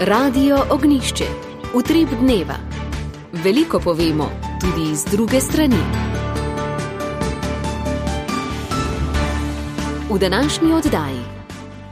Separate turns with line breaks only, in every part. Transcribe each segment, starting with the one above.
Radio Ognjišče. Utrip dneva. Veliko povemo, tudi z druge strani. V današnji oddaji.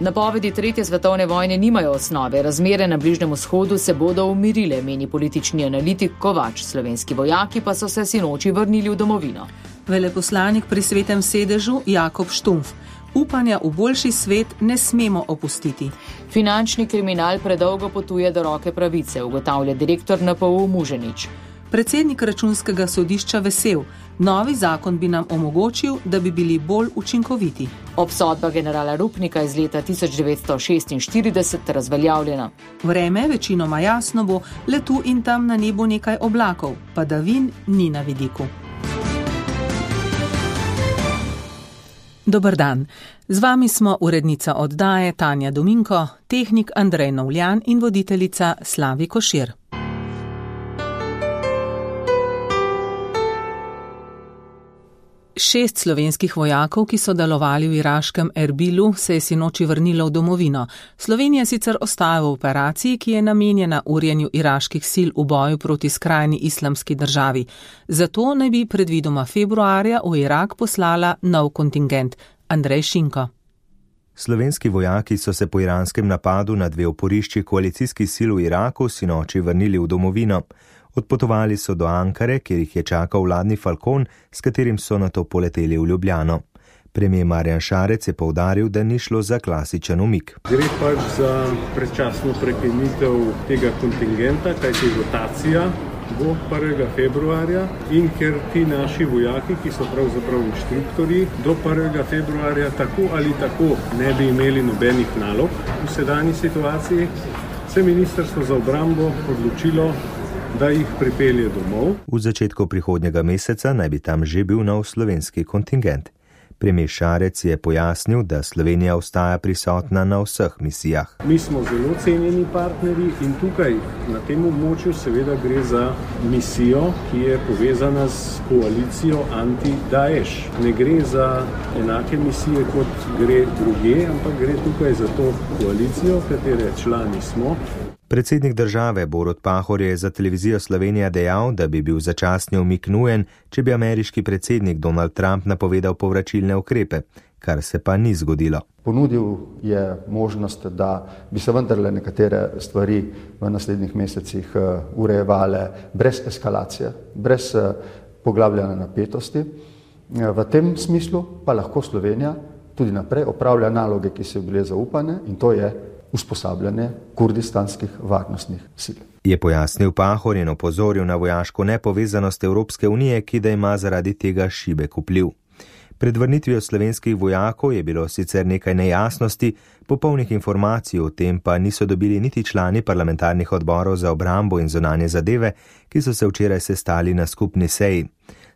Napovedi tretje svetovne vojne nimajo osnove. Razmere na Bližnjem vzhodu se bodo umirile, meni politični analitik Kovač. Slovenski vojaki pa so se sinoči vrnili v domovino.
Veleposlanik pri Svetem sedežu Jakob Štumpf. Upanja v boljši svet ne smemo opustiti.
Finančni kriminal predolgo potuje do roke pravice, ugotavlja direktor NPU Muženič.
Predsednik Računskega sodišča vesel. Novi zakon bi nam omogočil, da bi bili bolj učinkoviti.
Obsodba generala Rupnika iz leta 1946 razveljavljena.
Vreme večinoma jasno bo, le tu in tam na nebu nekaj oblakov, padavin ni na vidiku. Dober dan. Z vami smo urednica oddaje Tanja Dominko, tehnik Andrej Novljan in voditeljica Slavi Košir. Šest slovenskih vojakov, ki so delovali v iraškem Erbilu, se je sinoči vrnilo v domovino. Slovenija sicer ostaja v operaciji, ki je namenjena urjenju iraških sil v boju proti skrajni islamski državi. Zato naj bi predvidoma februarja v Irak poslala nov kontingent. Andrej Šinko.
Slovenski vojaki so se po iranskem napadu na dve oporišči koalicijskih sil v Iraku sinoči vrnili v domovino. Odpotovali so do Ankare, kjer jih je čakal vladni Falcon, s katerim so nato poleteli v Ljubljano. Premijer Marjan Šarec je poudaril, da ni šlo za klasičen umik.
Gre pač za predčasno prekinitev tega kontingenta, kajti rotacija bo 1. februarja in ker ti naši vojaki, ki so pravzaprav inštruktorji, do 1. februarja tako ali tako ne bi imeli nobenih nalog v sedanji situaciji, se Ministrstvo za obrambo odločilo, da jih pripelje domov.
V začetku prihodnjega meseca naj bi tam že bil nov slovenski kontingent. Premijer Šarec je pojasnil, da Slovenija ostaja prisotna na vseh misijah.
Mi smo zelo cenjeni partnerji in tukaj na tem območju seveda gre za misijo, ki je povezana s koalicijo anti-Daesh. Ne gre za enake misije, kot gre drugje, ampak gre tukaj za to koalicijo, katere člani smo.
Predsednik države Borut Pahor je za televizijo Slovenija dejal, da bi bil začasni umik nujen, če bi ameriški predsednik Donald Trump napovedal povračilne ukrepe, kar se pa ni zgodilo.
Ponudil je možnost, da bi se vendarle nekatere stvari v naslednjih mesecih urejevale brez eskalacije, brez poglabljanja napetosti. V tem smislu pa lahko Slovenija tudi naprej opravlja naloge, ki so bile zaupane, in to je usposabljanje kurdistanskih varnostnih sil.
Je pojasnil Pahor in opozoril na vojaško nepovezanost Evropske unije, ki da ima zaradi tega šibek vpliv. Pred vrnitvijo slovenskih vojakov je bilo sicer nekaj nejasnosti, popolnih informacij o tem pa niso dobili niti člani parlamentarnih odborov za obrambo in zunanje zadeve, ki so se včeraj sestali na skupni seji.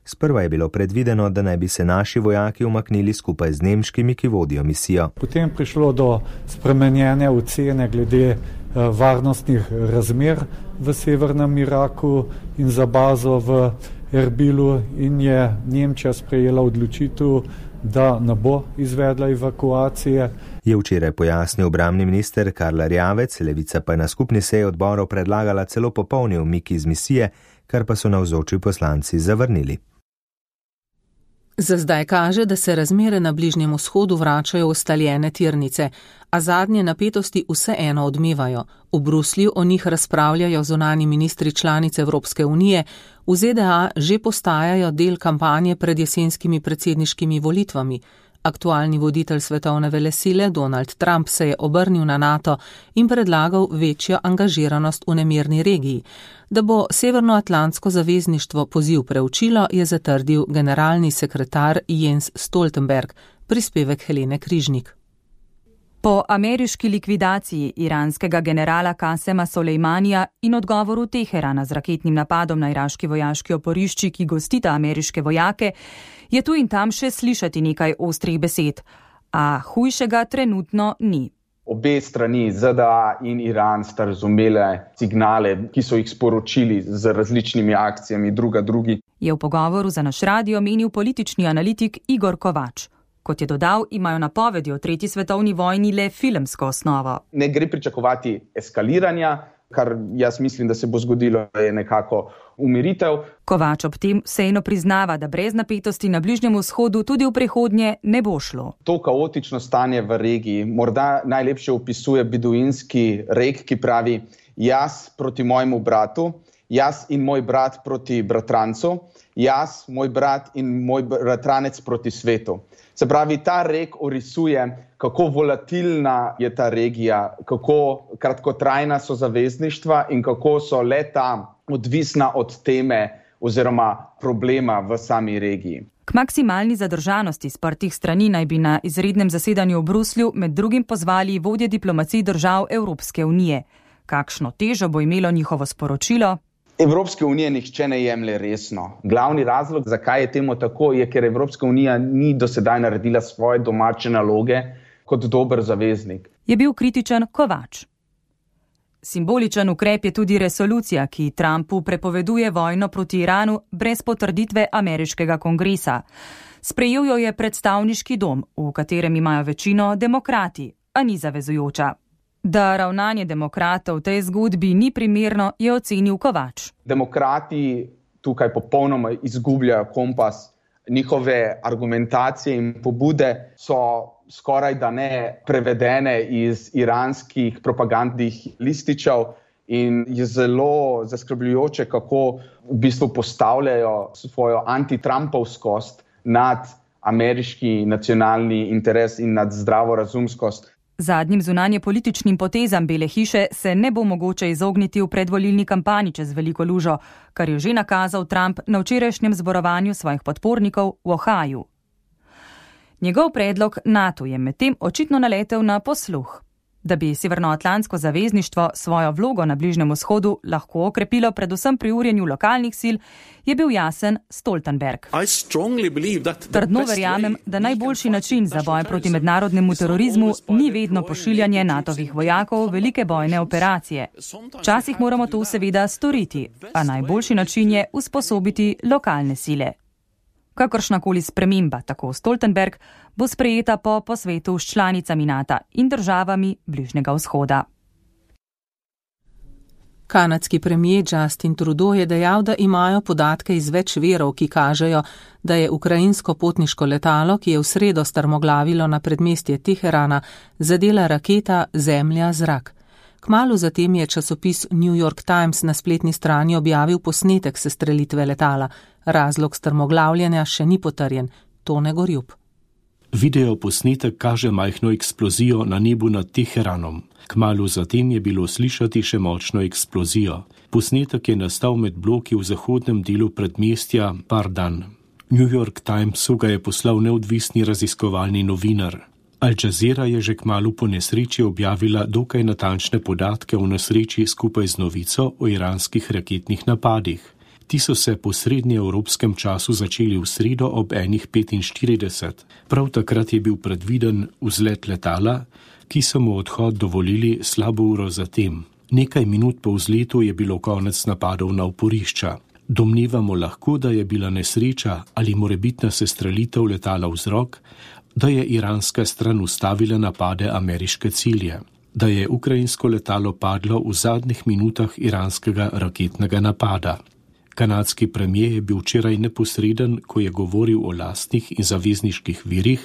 Sprva je bilo predvideno, da naj bi se naši vojaki umaknili skupaj z nemškimi, ki vodijo misijo.
Potem prišlo do spremenjene ocene glede varnostnih razmer v severnem Iraku in za bazo v Erbilu in je Nemčija sprejela odločitev, da ne bo izvedla evakuacije.
Je včeraj pojasnil obrambni minister Karl Erjavec, Levica pa je na skupni seji odborov predlagala celo popolni umik iz misije, kar pa so navzoči poslanci zavrnili.
Za zdaj kaže, da se razmere na Bližnjem vzhodu vračajo v ustaljene tirnice, a zadnje napetosti vseeno odmevajo. V Bruslju o njih razpravljajo zunanji ministri članic Evropske unije, v ZDA že postajajo del kampanje pred jesenskimi predsedniškimi volitvami. Aktualni voditelj svetovne velesile Donald Trump se je obrnil na NATO in predlagal večjo angažiranost v nemirni regiji. Da bo Severnoatlantsko zavezništvo poziv preučilo, je zatrdil generalni sekretar Jens Stoltenberg, prispevek Helene Križnik.
Po ameriški likvidaciji iranskega generala Kasema Solejmanija in odgovoru Teherana z raketnim napadom na iraški vojaški oporišči, ki gostita ameriške vojake, je tu in tam še slišati nekaj ostrih besed, a hujšega trenutno ni.
Obe strani, ZDA in Iran, sta razumele signale, ki so jih sporočili z različnimi akcijami drugi.
Je v pogovoru za naš radio menil politični analitik Igor Kovač. Kot je dodal, imajo napovedi o 3. svetovni vojni le filmsko osnovo.
Ne gre pričakovati eskaliranja, kar jaz mislim, da se bo zgodilo, je nekako umiritev.
Kovač ob tem vseeno priznava, da brez napetosti na Bližnjem vzhodu tudi v prihodnje ne bo šlo.
To kaotično stanje v regiji morda najlepše opisuje beduinski rek, ki pravi: jaz proti mojemu bratu, jaz in moj brat proti bratrancu, jaz, moj brat in moj bratranec proti svetu. Se pravi, ta rek orisuje, kako volatilna je ta regija, kako kratkotrajna so zavezništva in kako so le-ta odvisna od teme oziroma problema v sami regiji.
K maksimalni zadržanosti sprtih strani naj bi na izrednem zasedanju v Bruslju med drugim pozvali vodje diplomacij držav Evropske unije. Kakšno težo bo imelo njihovo sporočilo?
Evropske unije nihče ne jemlje resno. Glavni razlog, zakaj je temu tako, je, ker Evropska unija ni do sedaj naredila svoje domače naloge kot dober zaveznik.
Je bil kritičen Kovač. Simboličen ukrep je tudi resolucija, ki Trumpu prepoveduje vojno proti Iranu brez potrditve ameriškega kongresa. Sprejel jo je predstavniški dom, v katerem imajo večino demokrati, a ni zavezujoča. Da ravnanje demokratov v tej zgodbi ni primerno, je ocenil Kovač.
Demokrati tukaj popolnoma izgubljajo kompas. Njihove argumentacije in pobude so skoraj da ne prevedene iz iranskih propagandnih lističev in je zelo zaskrbljujoče, kako v bistvu postavljajo svojo antitrampovskost nad ameriški nacionalni interes in nad zdravorazumskost.
Zadnjim zunanjepolitičnim potezam Bele hiše se ne bo mogoče izogniti v predvolilni kampanji čez veliko lužo, kar je že nakazal Trump na včerajšnjem zborovanju svojih podpornikov v Ohaju. Njegov predlog NATO je medtem očitno naletel na posluh. Da bi Severnoatlantsko zavezništvo svojo vlogo na Bližnjem vzhodu lahko okrepilo predvsem pri urjenju lokalnih sil, je bil jasen Stoltenberg. Trdno verjamem, da najboljši način za boj proti mednarodnemu terorizmu ni vedno pošiljanje NATO-vih vojakov v velike bojne operacije. Včasih moramo to seveda storiti, a najboljši način je usposobiti lokalne sile. Kakršnakoli sprememba, tako Stoltenberg, bo sprejeta po posvetu s članicami NATO in državami Bližnjega vzhoda.
Kanadski premier Justin Trudeau je dejal, da imajo podatke iz več virov, ki kažejo, da je ukrajinsko potniško letalo, ki je v sredo strmoglavilo na predmestje Teherana, zadela raketa Zemlja-zrak. Kmalu zatem je časopis New York Times na spletni strani objavil posnetek sestrelitve letala. Razlog strmoglavljanja še ni potrjen. Tone Gorjup.
Video posnetek kaže majhno eksplozijo na nebu nad Teheranom. Kmalu zatem je bilo slišati še močno eksplozijo. Posnetek je nastal med bloki v zahodnem delu predmestja Pardan. New York Timesu ga je poslal neodvisni raziskovalni novinar. Al Jazeera je že kmalu po nesreči objavila dokaj natančne podatke o nesreči skupaj z novico o iranskih raketnih napadih. Ti so se po srednjeevropskem času začeli v sredo ob 1:45. Prav takrat je bil predviden vzlet letala, ki so mu odhod dovolili slabo uro zatem. Nekaj minut po vzletu je bilo konec napadov na oporišča. Domnevamo lahko, da je bila nesreča ali morebitna sestrelitev letala vzrok, da je iranska stran ustavila napade ameriške cilje, da je ukrajinsko letalo padlo v zadnjih minutah iranskega raketnega napada. Kanadski premier je bil včeraj neposreden, ko je govoril o lastnih in zavezniških virih,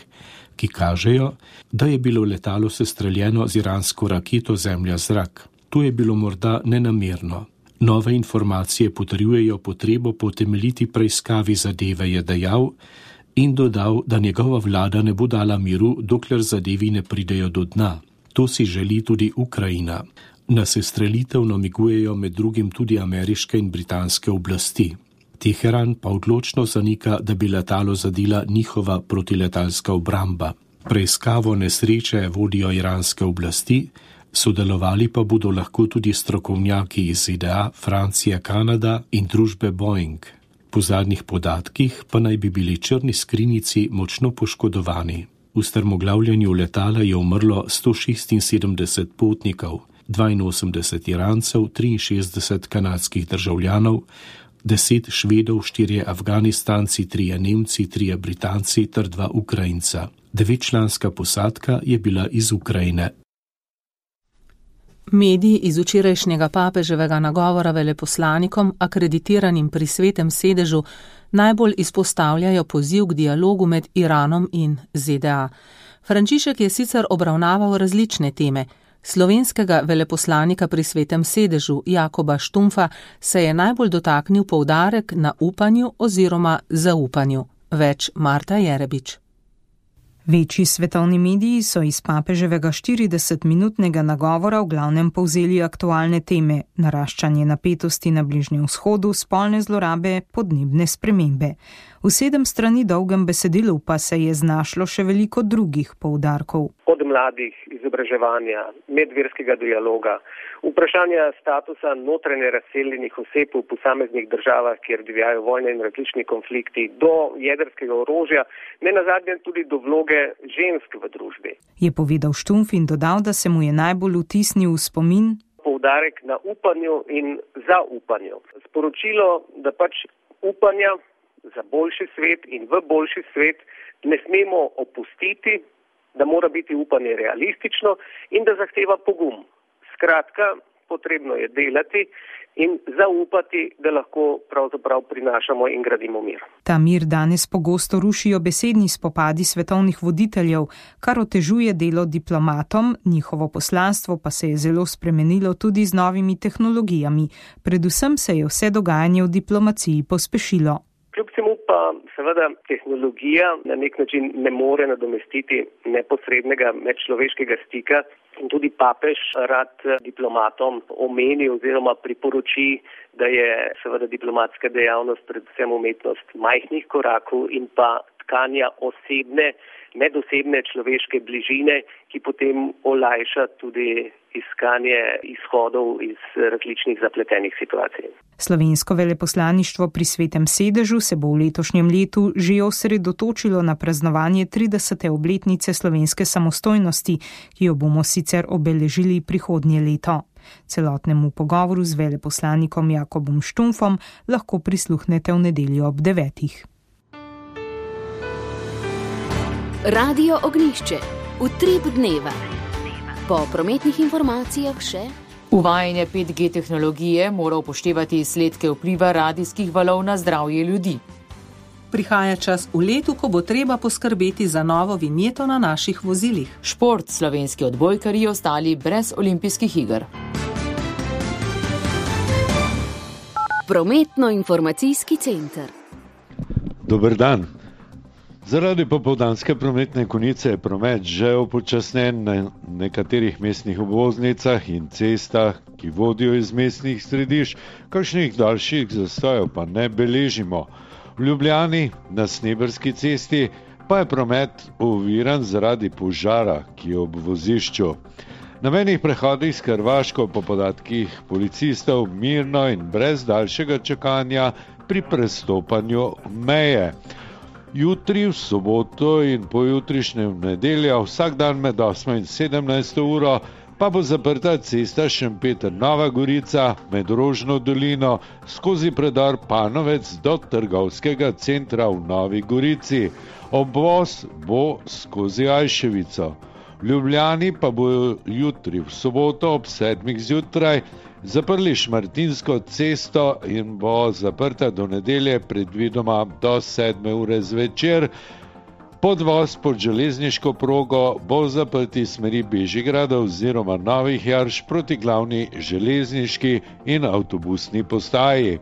ki kažejo, da je bilo letalo sestreljeno z iransko raketo Zemlja-zrak. To je bilo morda nenamerno. Nove informacije potrjujejo potrebo po temeljiti preiskavi zadeve, je dejal, in dodal, da njegova vlada ne bo dala miru, dokler zadevi ne pridejo do dna. To si želi tudi Ukrajina. Na sestrelitev namigujejo med drugim tudi ameriške in britanske oblasti. Teheran pa odločno zanika, da bi letalo zadela njihova protiletalska obramba. Preiskavo nesreče vodijo iranske oblasti, sodelovali pa bodo lahko tudi strokovnjaki iz ZDA, Francije, Kanada in družbe Boeing. Po zadnjih podatkih pa naj bi bili črni skrinjici močno poškodovani. V strmoglavljanju letala je umrlo 176 potnikov, 82 Irancev, 63 kanadskih državljanov, 10 Švedov, 4 Afganistanci, 3 Nemci, 3 Britanci ter 2 Ukrajinca. 9-članska posadka je bila iz Ukrajine.
Mediji iz včerajšnjega papeževega nagovora veleposlanikom, akreditiranim pri Svetem sedežu, najbolj izpostavljajo poziv k dialogu med Iranom in ZDA. Frančišek je sicer obravnaval različne teme. Slovenskega veleposlanika pri Svetem sedežu Jakoba Štumfa se je najbolj dotaknil poudarek na upanju oziroma zaupanju. Več Marta Jerebič.
Večji svetovni mediji so iz papeževega 40-minutnega nagovora v glavnem povzeli aktualne teme: naraščanje napetosti na Bližnjem vzhodu, spolne zlorabe, podnebne spremembe. V 7 strani dolgem besedilu pa se je znašlo še veliko drugih poudarkov.
Od mladih, izobraževanja, medverskega dialoga, vprašanja statusa notranje razseljenih oseb v posameznih državah, kjer divjajo vojne in različni konflikti, do jedrskega orožja, ne nazadnje tudi do vloge žensk v družbi.
Je povedal Štumf in dodal, da se mu je najbolj vtisnil v spomin
poudarek na upanju in zaupanju. Sporočilo, da upanja za boljši svet in v boljši svet ne smemo opustiti, da mora biti upanje realistično in da zahteva pogum. Skratka, potrebno je delati in zaupati, da lahko pravzaprav prinašamo in gradimo mir.
Ta mir danes pogosto rušijo besedni spopadi svetovnih voditeljev, kar otežuje delo diplomatom, njihovo poslanstvo pa se je zelo spremenilo tudi z novimi tehnologijami. Predvsem se je vse dogajanje v diplomaciji pospešilo.
Kljub temu pa seveda tehnologija na nek način ne more nadomestiti neposrednega medčloveškega stika in tudi papež rad diplomatom omeni oziroma priporoči, da je seveda diplomatska dejavnost predvsem umetnost majhnih korakov in pa tkanja osebne, medosebne človeške bližine, ki potem olajša tudi iskanje izhodov iz različnih zapletenih situacij.
Slovensko veleposlaništvo pri Svetem sedežu se bo v letošnjem letu že osredotočilo na praznovanje 30. obletnice slovenske samostojnosti, ki jo bomo sicer obeležili prihodnje leto. Celotnemu pogovoru z veleposlanikom Jakobom Štumfom lahko prisluhnete v nedeljo ob 9.
Radio Ognjišče. Utrip dneva. Po prometnih informacijah še.
Uvajanje 5G tehnologije mora upoštevati izsledke vpliva radijskih valov na zdravje ljudi.
Prihaja čas v letu, ko bo treba poskrbeti za novo vinjeto na naših vozilih.
Šport, slovenski odbojkarji ostali brez olimpijskih iger.
Prometno-informacijski center.
Dober dan. Zaradi popoldanske prometne konice je promet že upočasnjen na nekaterih mestnih obvoznicah in cestah, ki vodijo iz mestnih središč, kakšnih daljših zastojev pa ne beležimo. V Ljubljani na Sneberski cesti pa je promet oviran zaradi požara, ki je ob vozišču. Na mejnih prehodih s Hrvaško po podatkih policistov mirno in brez daljšega čakanja pri prestopanju meje. Jutri, v soboto in pojutrišnjem nedeljo, vsak dan med 8 in 17 uro, pa bo zaprta cesta Šempeter-Nova Gorica med Rožno dolino skozi predor Panovec do trgovskega centra v Novi Gorici. Obvoz bo skozi Ajševico. V Ljubljani pa bo jutri, v soboto ob 7 zjutraj, zaprli Šmartinsko cesto in bo zaprta do nedelje predvidoma do 7 ure zvečer. Podvoz pod železniško progo bo zaprt iz smeri Bežigrada oziroma Novih Jarš proti glavni železniški in avtobusni postaji.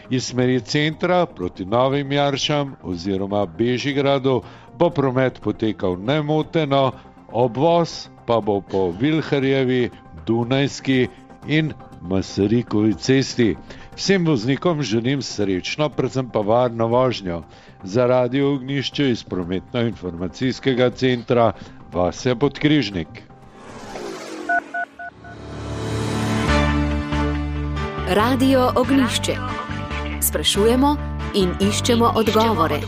Iz smeri centra proti Novim Jaršam oziroma Bežigradu bo promet potekal nemoteno, obvoz pa bo po Vilharjevi, Dunajski in Masarikovi cesti. Vsem voznikom želim srečno, predvsem pa varno vožnjo. Za Radio Ognjišče iz prometno-informacijskega centra Vasja Podkrižnik.
Radio Ognjišče. Sprašujemo in iščemo odgovore.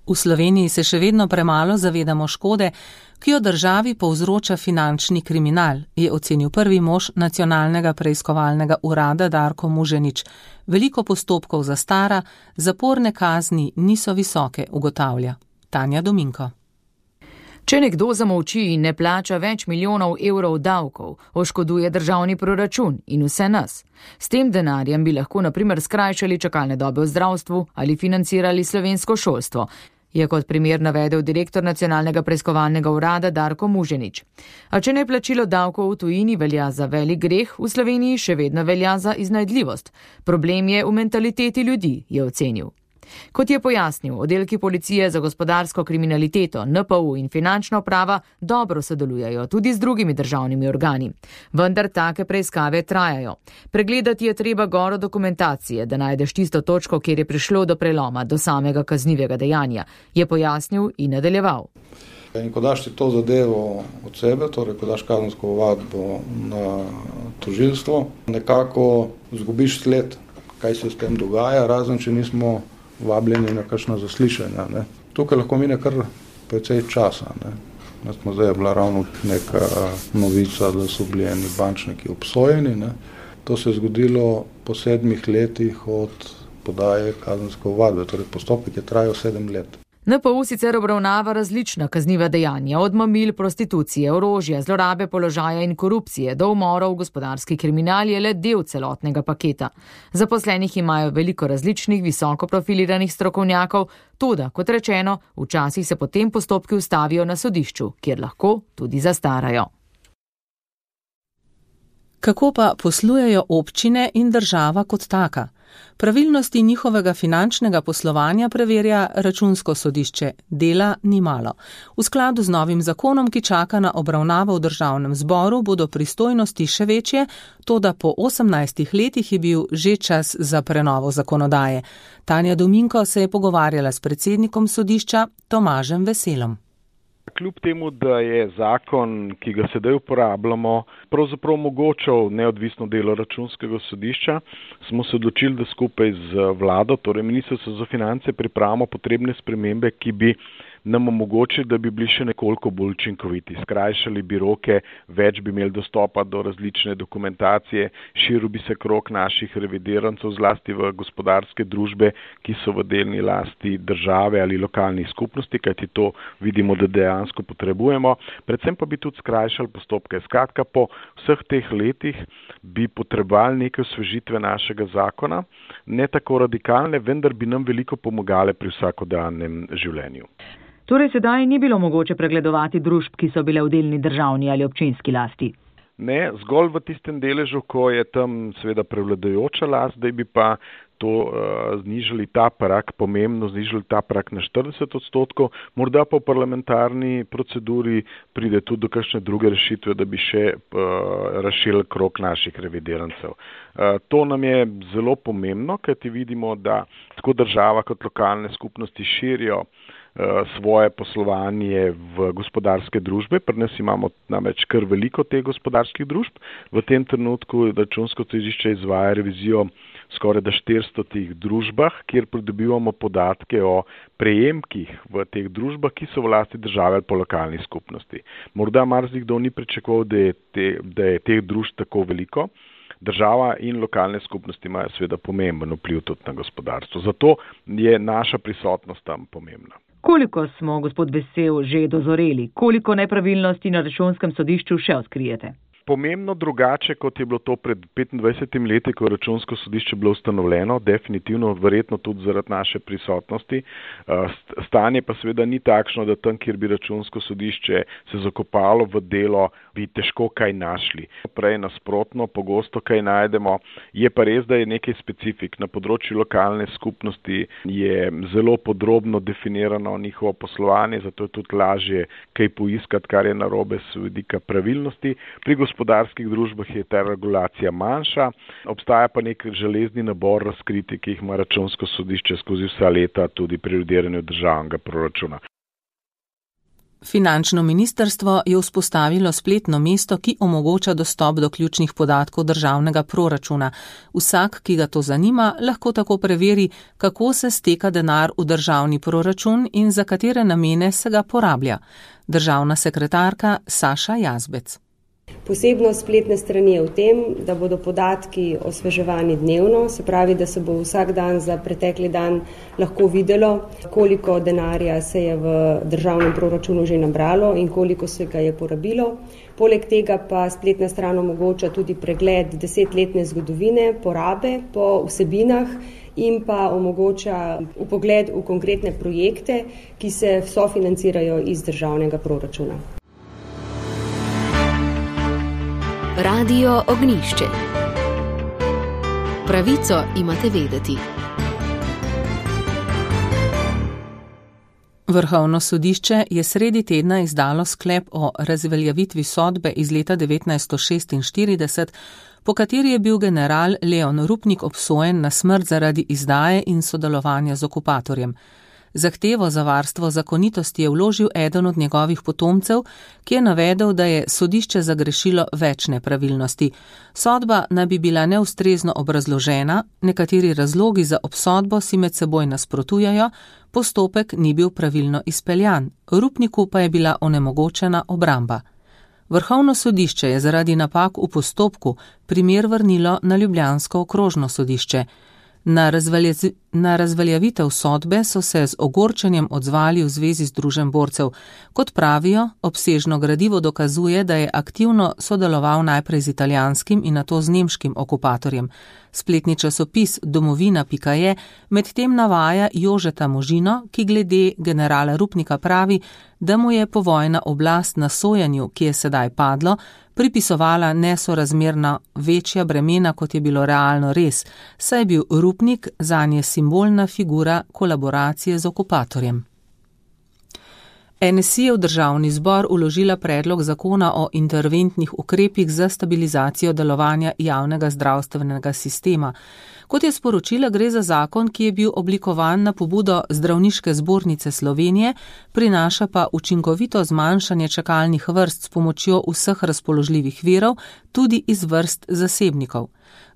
V Sloveniji se še vedno premalo zavedamo škode, ki jo državi povzroča finančni kriminal, je ocenil prvi mož Nacionalnega preiskovalnega urada Darko Muženič. Veliko postopkov zastara, zaporne kazni niso visoke, ugotavlja Tanja Dominko.
Če nekdo zamolči in ne plača več milijonov evrov davkov, oškoduje državni proračun in vse nas. S tem denarjem bi lahko na primer skrajšali čakalne dobe v zdravstvu ali financirali slovensko šolstvo, je kot primer navedel direktor Nacionalnega preiskovalnega urada Darko Muženič. A če neplačilo davkov v tujini velja za velik greh, v Sloveniji še vedno velja za iznajdljivost. Problem je v mentaliteti ljudi, je ocenil. Kot je pojasnil, oddelki policije za gospodarsko kriminaliteto, NPU in finančna uprava dobro sodelujejo tudi z drugimi državnimi organi. Vendar take preiskave trajajo. Pregledati je treba goro dokumentacije, da najdeš tisto točko, kjer je prišlo do preloma, do samega kaznivega dejanja, je pojasnil in nadaljeval.
In ko daš ti to zadevo od sebe, torej ko daš kazensko ovadbo na tožilstvo, nekako izgubiš sled, kaj se s tem dogaja, razen če nismo vabljeni na kakšna zaslišanja. Ne. Tukaj lahko mine kar precej časa. Zdaj je bila ravno neka novica, da so bili eni bančniki obsojeni. Ne. To se je zgodilo po 7 letih od podaje kazenske ovadbe, torej postopek je trajal 7 let.
NPU sicer obravnava različna kazniva dejanja, od mamil, prostitucije, orožja, zlorabe položaja in korupcije do umorov. Gospodarski kriminal je le del celotnega paketa. Zaposlenih imajo veliko različnih visoko profiliranih strokovnjakov, toda, kot rečeno, včasih se potem postopki ustavijo na sodišču, kjer lahko tudi zastarajo.
Kako pa poslujejo občine in država kot taka? Pravilnosti njihovega finančnega poslovanja preverja Računsko sodišče. Dela ni malo. V skladu z novim zakonom, ki čaka na obravnavo v državnem zboru, bodo pristojnosti še večje, toda po 18 letih je bil že čas za prenovo zakonodaje. Tanja Dominko se je pogovarjala s predsednikom sodišča Tomažem Veselom.
Kljub temu, da je zakon, ki ga sedaj uporabljamo, pravzaprav omogočal neodvisno delo Računskega sodišča, smo se odločili, da skupaj z vlado, torej Ministrstvo za finance, pripravimo potrebne spremembe, ki bi nam omogočili, da bi bili še nekoliko bolj učinkoviti. Skrajšali bi roke, več bi imeli dostopa do različne dokumentacije, širil bi se krog naših revidirancev, zlasti v gospodarske družbe, ki so v delni lasti države ali lokalnih skupnosti, kajti to vidimo, da dejansko potrebujemo. Predvsem pa bi tudi skrajšali postopke. Skratka, po vseh teh letih bi potrebovali neke osvežitve našega zakona, ne tako radikalne, vendar bi nam veliko pomagale pri vsakodnevnem življenju.
Torej sedaj ni bilo mogoče pregledovati družb, ki so bile v delni državni ali občinski lasti?
Ne, zgolj v tistem deležu, ko je tam seveda prevladujoča last, da bi pa to znižali ta prag, pomembno znižali ta prag na 40%, morda pa v parlamentarni proceduri pride tudi do kakšne druge rešitve, da bi še razširili krog naših revidirancev. To nam je zelo pomembno, kajti vidimo, da tako država kot lokalne skupnosti širijo svoje poslovanje v gospodarske družbe. Pri nas imamo namreč kar veliko teh gospodarskih družb. V tem trenutku Računsko sodišče izvaja revizijo skoraj 400 družbah, kjer pridobivamo podatke o prejemkih v teh družbah, ki so v lasti države ali po lokalni skupnosti. Morda marsikdo ni pričakoval, da je teh družb tako veliko. Država in lokalne skupnosti imajo seveda pomemben vpliv tudi na gospodarstvo. Zato je naša prisotnost tam pomembna.
Koliko smo, gospod Vesel, že dozoreli? Koliko nepravilnosti na Računskem sodišču še odkrijete?
Pomembno drugače, kot je bilo to pred 25 leti, ko je Računsko sodišče bilo ustanovljeno, definitivno, verjetno tudi zaradi naše prisotnosti. Stanje pa seveda ni takšno, da tam, kjer bi Računsko sodišče se zakopalo v delo, bi težko kaj našli. Prej nasprotno, pogosto kaj najdemo. Je pa res, da je nekaj specifik. Na področju lokalne skupnosti je zelo podrobno definirano njihovo poslovanje, zato je tudi lažje kaj poiskati, kar je narobe s vidika pravilnosti. Pri gospodarskih družbah je ta regulacija manjša, obstaja pa nek železni nabor razkritij, ki jih ima Računsko sodišče skozi vsa leta tudi pri revidiranju državnega proračuna.
Finančno ministrstvo je vzpostavilo spletno mesto, ki omogoča dostop do ključnih podatkov državnega proračuna. Vsak, ki ga to zanima, lahko tako preveri, kako se steka denar v državni proračun in za katere namene se ga porablja. Državna sekretarka Saša Jazbec.
Posebnost spletne strani je v tem, da bodo podatki osveževani dnevno, se pravi, da se bo vsak dan za pretekli dan lahko videlo, koliko denarja se je v državnem proračunu že nabralo in koliko se ga je porabilo. Poleg tega pa spletna stran omogoča tudi pregled 10-letne zgodovine porabe po vsebinah in pa omogoča vpogled v konkretne projekte, ki se sofinancirajo iz državnega proračuna.
Radio Ognjišče. Pravico imate vedeti.
Vrhovno sodišče je sredi tedna izdalo sklep o razveljavitvi sodbe iz leta 1946, po kateri je bil general Leon Rupnik obsojen na smrt zaradi izdaje in sodelovanja z okupatorjem. Zahtevo za varstvo zakonitosti je vložil eden od njegovih potomcev, ki je navedel, da je sodišče zagrešilo več nepravilnosti. Sodba naj bi bila neustrezno obrazložena, nekateri razlogi za obsodbo si med seboj nasprotujejo, postopek ni bil pravilno izpeljan, Rupniku pa je bila onemogočena obramba. Vrhovno sodišče je zaradi napak v postopku primer vrnilo na ljubljansko okrožno sodišče. Na razveljavitev sodbe so se z ogorčenjem odzvali v zvezi Združenj borcev. Kot pravijo, obsežno gradivo dokazuje, da je aktivno sodeloval najprej z italijanskim in nato z nemškim okupatorjem. Spletni časopis domovina.je medtem navaja Jožeta Možino, ki glede generala Rupnika pravi, da mu je povojna oblast na sojenju, ki je sedaj padlo, pripisovala nesorazmerno večja bremena, kot je bilo realno res, saj je bil Rupnik zanje simbolna figura kolaboracije z okupatorjem. NSI je v državni zbor vložila predlog zakona o interventnih ukrepih za stabilizacijo delovanja javnega zdravstvenega sistema. Kot je sporočila, gre za zakon, ki je bil oblikovan na pobudo Zdravniške zbornice Slovenije, prinaša pa učinkovito zmanjšanje čakalnih vrst s pomočjo vseh razpoložljivih virov, tudi iz vrst zasebnikov.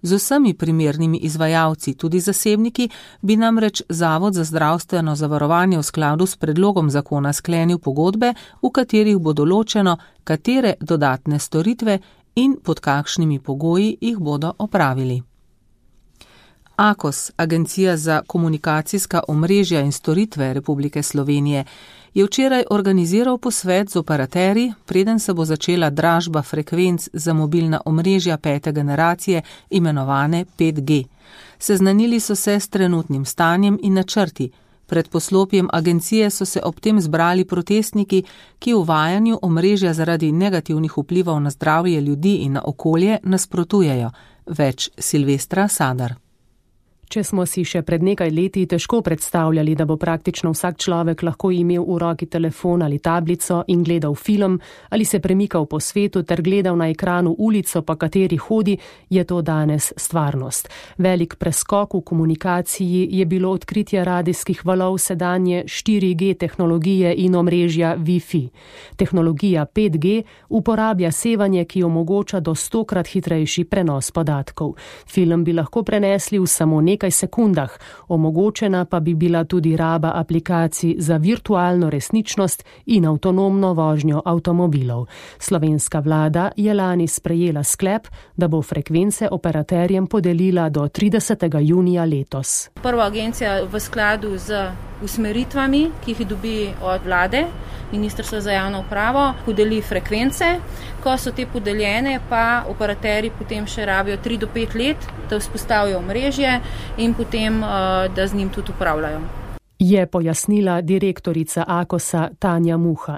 Z vsemi primernimi izvajalci, tudi zasebniki, bi namreč Zavod za zdravstveno zavarovanje v skladu s predlogom zakona sklenil pogodbe, v katerih bo določeno, katere dodatne storitve in pod kakšnimi pogoji jih bodo opravili. AKOS, Agencija za komunikacijska omrežja in storitve Republike Slovenije, je včeraj organiziral posvet z operaterji, preden se bo začela dražba frekvenc za mobilna omrežja 5. generacije, imenovane 5G. Seznanili so se s trenutnim stanjem in načrti. Pred poslopjem agencije so se ob tem zbrali protestniki, ki uvajanju omrežja zaradi negativnih vplivov na zdravje ljudi in na okolje nasprotujejo. Več Silvestra Sadar.
Če smo si še pred nekaj leti težko predstavljali, da bo praktično vsak človek lahko imel v roki telefon ali tablico in gledal film ali se premikal po svetu ter gledal na ekranu ulico, po kateri hodi, je to danes stvarnost. Velik preskok v komunikaciji je bilo odkritje radijskih valov sedanje 4G tehnologije in omrežja Wi-Fi. Tehnologija 5G uporablja sevanje, ki omogoča do 100-krat hitrejši prenos podatkov. Film bi lahko prenesli v samo nekaj sekundah, omogočena pa bi bila tudi raba aplikacij za virtualno resničnost in avtonomno vožnjo avtomobilov. Slovenska vlada je lani sprejela sklep, da bo frekvence operaterjem podelila do 30. junija letos.
Prva agencija v skladu z usmeritvami, ki jih dobi od vlade, Ministrstvo za javno upravo, podeli frekvence. Ko so te podeljene, pa operaterji potem še rabijo 3 do 5 let, da vzpostavijo omrežje in potem, da z njim tudi upravljajo.
Je pojasnila direktorica AKOS-a Tanja Muha.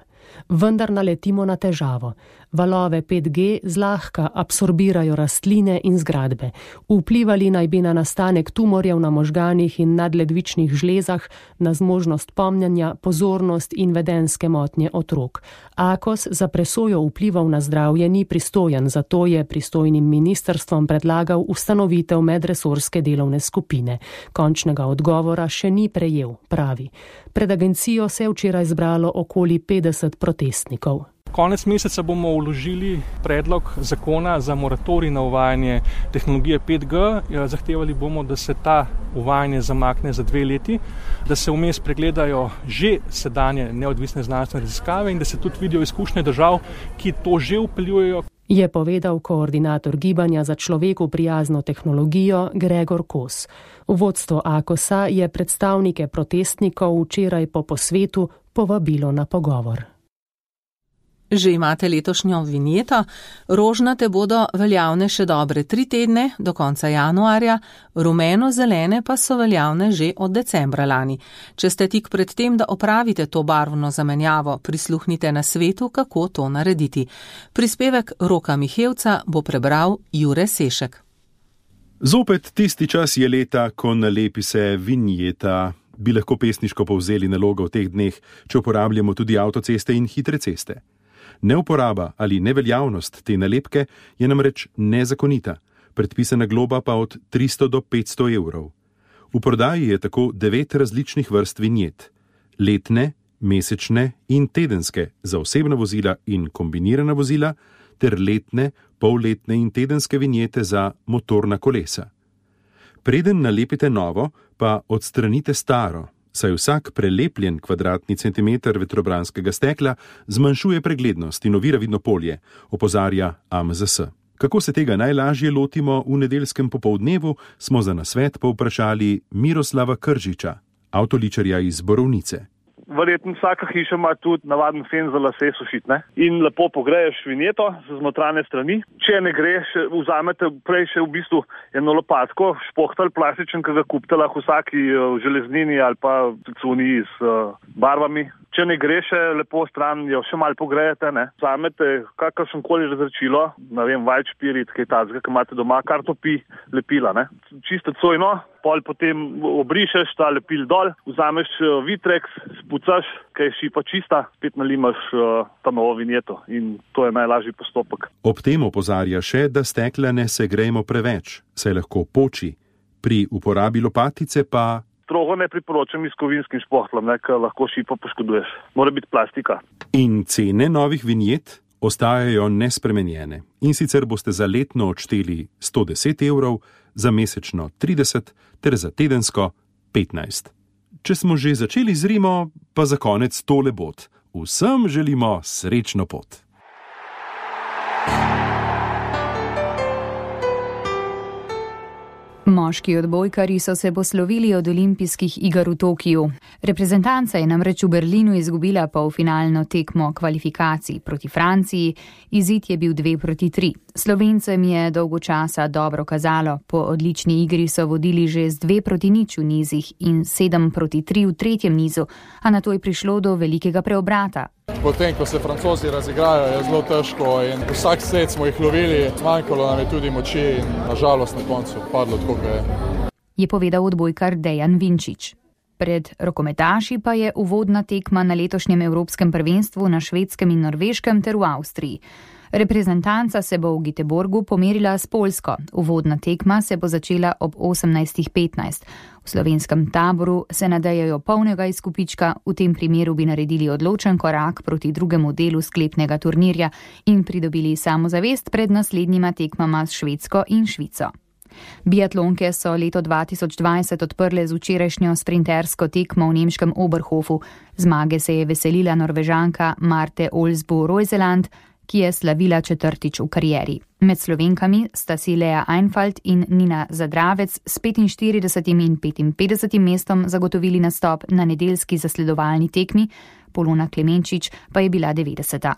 Vendar naletimo na težavo. Valove 5G zlahka absorbirajo rastline in zgradbe. Vplivali naj bi na nastanek tumorjev na možganih in nadledvičnih žlezah, na zmožnost pomnjenja, pozornost in vedenske motnje otrok. AKOS za presojo vplivov na zdravje ni pristojen, zato je pristojnim ministrstvom predlagal ustanovitev medresorske delovne skupine. Končnega odgovora še ni prejel, pravi. Pred agencijo se je včeraj zbralo okoli 50 od protestnikov.
Konec meseca bomo vložili predlog zakona za moratorij na uvajanje tehnologije 5G. Zahtevali bomo, da se ta uvajanje zamakne za 2 leti, da se vmes pregledajo že sedanje neodvisne znanstvene raziskave in da se tudi vidijo izkušnje držav, ki to že vpeljujejo.
Je povedal koordinator gibanja za človeku prijazno tehnologijo Gregor Kos. Vodstvo AKOS-a je predstavnike protestnikov včeraj po posvetu povabilo na pogovor.
Že imate letošnjo vinjeto? Rožnate bodo veljavne še dobre 3 tedne, do konca januarja, rumeno-zelene pa so veljavne že od decembra lani. Če ste tik pred tem, da opravite to barvno zamenjavo, prisluhnite na svetu, kako to narediti. Prispevek Roka Mihevca bo prebral Jure Sešek.
Zopet tisti čas je leta, ko nalepi se vinjeta. Bi lahko pesniško povzeli nalogo v teh dneh, če uporabljamo tudi avtoceste in hitre ceste. Neuporaba ali neveljavnost te nalepke je namreč nezakonita, predpisana globa pa od 300 do 500 evrov. V prodaji je tako 9 različnih vrst vinjet. Letne, mesečne in tedenske za osebna vozila in kombinirana vozila ter letne, polletne in tedenske vinjete za motorna kolesa. Preden nalepite novo, pa odstranite staro, saj vsak prelepljen kvadratni centimeter vetrobranskega stekla zmanjšuje preglednost in ovira vidno polje, opozarja AMZS. Kako se tega najlažje lotimo v nedeljskem popoldnevu, smo za nasvet povprašali Miroslava Kržiča, avtoličarja iz Borovnice.
Verjetno vsaka hiša ima tudi navaden fen za lase sušiti, ne? In lepo pogreješ vinjeto z znotranje strani. Če ne greš, vzamete prej še v bistvu eno lopatko, špohtal plastičen, ki ga kupite lahko vsaki železnini ali pa cuni z barvami. Če ne greš, lepo stran jo še malo pogrejete, ne? Vzamete kakršenkoli razrečilo, ne vem, vajč, pirit, kaj tazga, ki imate doma, kar topi lepila, ne? Čisto cojno, pol potem obrišeš ta lepil dol, vzameš Vitreks, spucaš, kaj je šipa čista, spet nalimaš ta novo vinjeto in to je najlažji postopek.
Ob tem opozarja še, da stekla ne segrejemo preveč, saj lahko poči. Pri uporabi lopatice pa
strogo ne priporočam s kovinskim špohtlom, ker lahko šipo poškoduješ. Mora biti plastika.
In cene novih vinjet ostajajo nespremenjene. In sicer boste za letno odšteli 110 evrov, za mesečno 30 ter za tedensko 15. Če smo že začeli z Rimo, pa za konec tole bod. Vsem želimo srečno pot.
Moški odbojkarji so se poslovili od olimpijskih iger v Tokiju. Reprezentanca je namreč v Berlinu izgubila polfinalno tekmo kvalifikacij proti Franciji, izid je bil 2-3. Slovencem je dolgo časa dobro kazalo, po odlični igri so vodili že z 2-0 v nizih in 7-3 v tretjem nizu, a nato je prišlo do velikega preobrata.
Potem, ko se Francozi razigrajo, je zelo težko in vsak set smo jih lovili, zmanjkalo nam je tudi moči in nažalost na koncu padlo tako, kot je.
Je povedal odbojkar Dejan Vinčič. Pred rokometaši pa je uvodna tekma na letošnjem Evropskem prvenstvu na Švedskem in Norveškem ter v Avstriji. Reprezentanca se bo v Göteborgu pomerila s Poljsko. Uvodna tekma se bo začela ob 18:15. V slovenskem taboru se nadejajo polnega izkupička, v tem primeru bi naredili odločen korak proti drugemu delu sklepnega turnirja in pridobili samozavest pred naslednjima tekmama s Švedsko in Švico. Biatlonke so leto 2020 odprle z včerajšnjo sprintersko tekmo v nemškem Oberhofu. Zmage se je veselila Norvežanka Marte Olsbu-Reuseland, ki je slavila 4. v karieri. Med Slovenkami sta si Lea Einfalt in Nina Zadravec s 45. in 55. mestom zagotovili nastop na nedeljski zasledovalni tekmi, Polona Klemenčič pa je bila 90.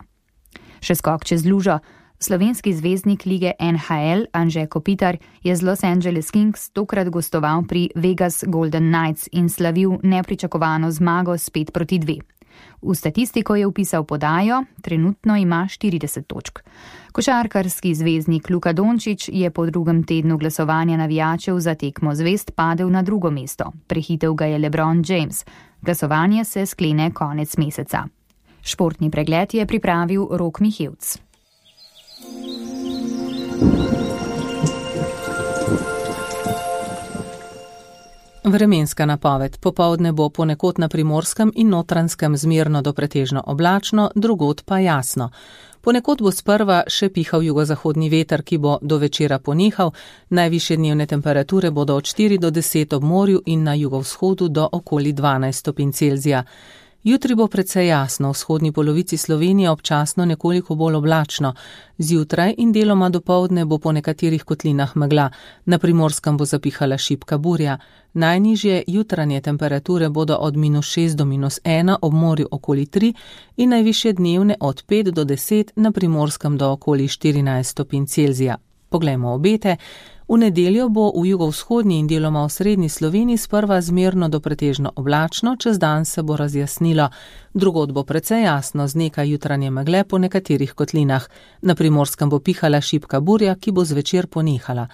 Še skok čez lužo. Slovenski zvezdnik lige NHL Anže Kopitar je z Los Angeles Kings tokrat gostoval pri Vegas Golden Knights in slavil nepričakovano zmago s 5-2. V statistiko je vpisal podajo, trenutno ima 40 točk. Košarkarski zvezdnik Luka Dončić je po drugem tednu glasovanja navijačev za tekmo zvezd padel na drugo mesto. Prehitel ga je LeBron James. Glasovanje se sklene konec meseca. Športni pregled je pripravil Rok Mihevc.
Vremenska napoved. Popoldne bo ponekod na Primorskem in Notranjskem zmerno do pretežno oblačno, drugod pa jasno. Ponekod bo sprva še pihal jugozahodni veter, ki bo do večera ponehal. Najvišje dnevne temperature bodo od 4 do 10 ob morju in na jugovzhodu do okoli 12 stopinj Celzija. Jutri bo precej jasno, v vzhodni polovici Slovenije občasno nekoliko bolj oblačno. Zjutraj in deloma dopoldne bo po nekaterih kotlinah megla. Na Primorskem bo zapihala šibka burja. Najnižje jutranje temperature bodo od -6 do -1, ob morju okoli 3 in najvišje dnevne od 5 do 10, na Primorskem do okoli 14 stopinj Celzija. Poglejmo obete. V nedeljo bo v jugovzhodni in deloma v srednji Sloveniji sprva zmerno do pretežno oblačno, čez dan se bo razjasnilo. Drugod bo precej jasno z nekaj jutranje megle po nekaterih kotlinah. Na Primorskem bo pihala šibka burja, ki bo zvečer ponehala.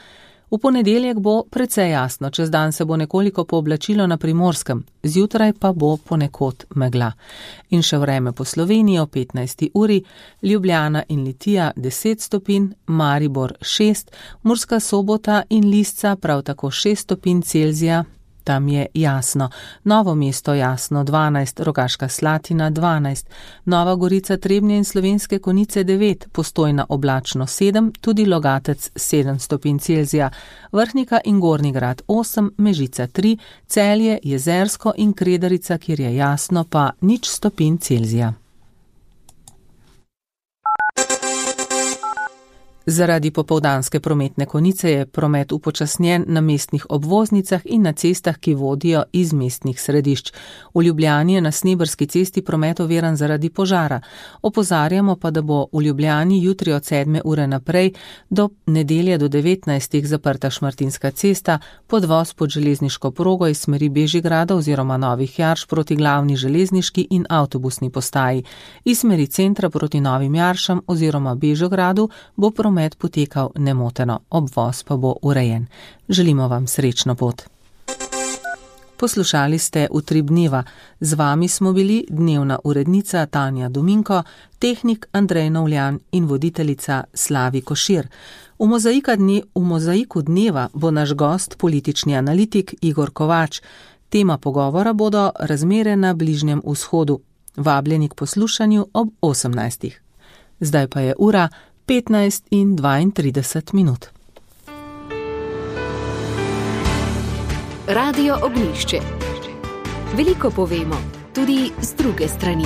V ponedeljek bo precej jasno, čez dan se bo nekoliko pooblačilo na Primorskem, zjutraj pa bo ponekod megla. In še vreme po Sloveniji o 15. uri, Ljubljana in Litija 10 stopinj, Maribor 6, Murska Sobota in Lisca prav tako 6 stopinj Celzija, tam je jasno. Novo mesto jasno 12, Rogaška Slatina 12, Nova Gorica, Trebnje in Slovenske Konjice 9, Postojna oblačno 7, tudi Logatec 7 stopinj Celzija, Vrhnika in Gornji Grad 8, Mežica 3, Celje, Jezersko in Kredarica, kjer je jasno, pa 0 stopinj Celzija. Zaradi popoldanske prometne konice je promet upočasnjen na mestnih obvoznicah in na cestah, ki vodijo iz mestnih središč. V Ljubljani je na Sneberski cesti promet oviran zaradi požara. Opozarjamo pa, da bo v Ljubljani jutri od 7. ure naprej do nedelje do 19. zaprta Šmartinska cesta, podvoz pod železniško progo iz smeri Bežigrada oziroma Novih Jarš proti glavni železniški in avtobusni postaji. Iz smeri centra proti Novim Jaršam oziroma Bežigradu bo promet potekal nemoteno, obvoz pa bo urejen. Želimo vam srečno pot. Poslušali ste Utrip dneva. Z vami smo bili dnevna urednica Tanja Dominko, tehnik Andrej Novljan in voditeljica Slavi Košir. V mozaiku dneva bo naš gost politični analitik Igor Kovač. Tema pogovora bodo razmere na Bližnjem vzhodu. Vabljeni k poslušanju ob 18. Zdaj pa je ura 15:32.
Radio Ognjišče. Veliko povemo, tudi z druge strani.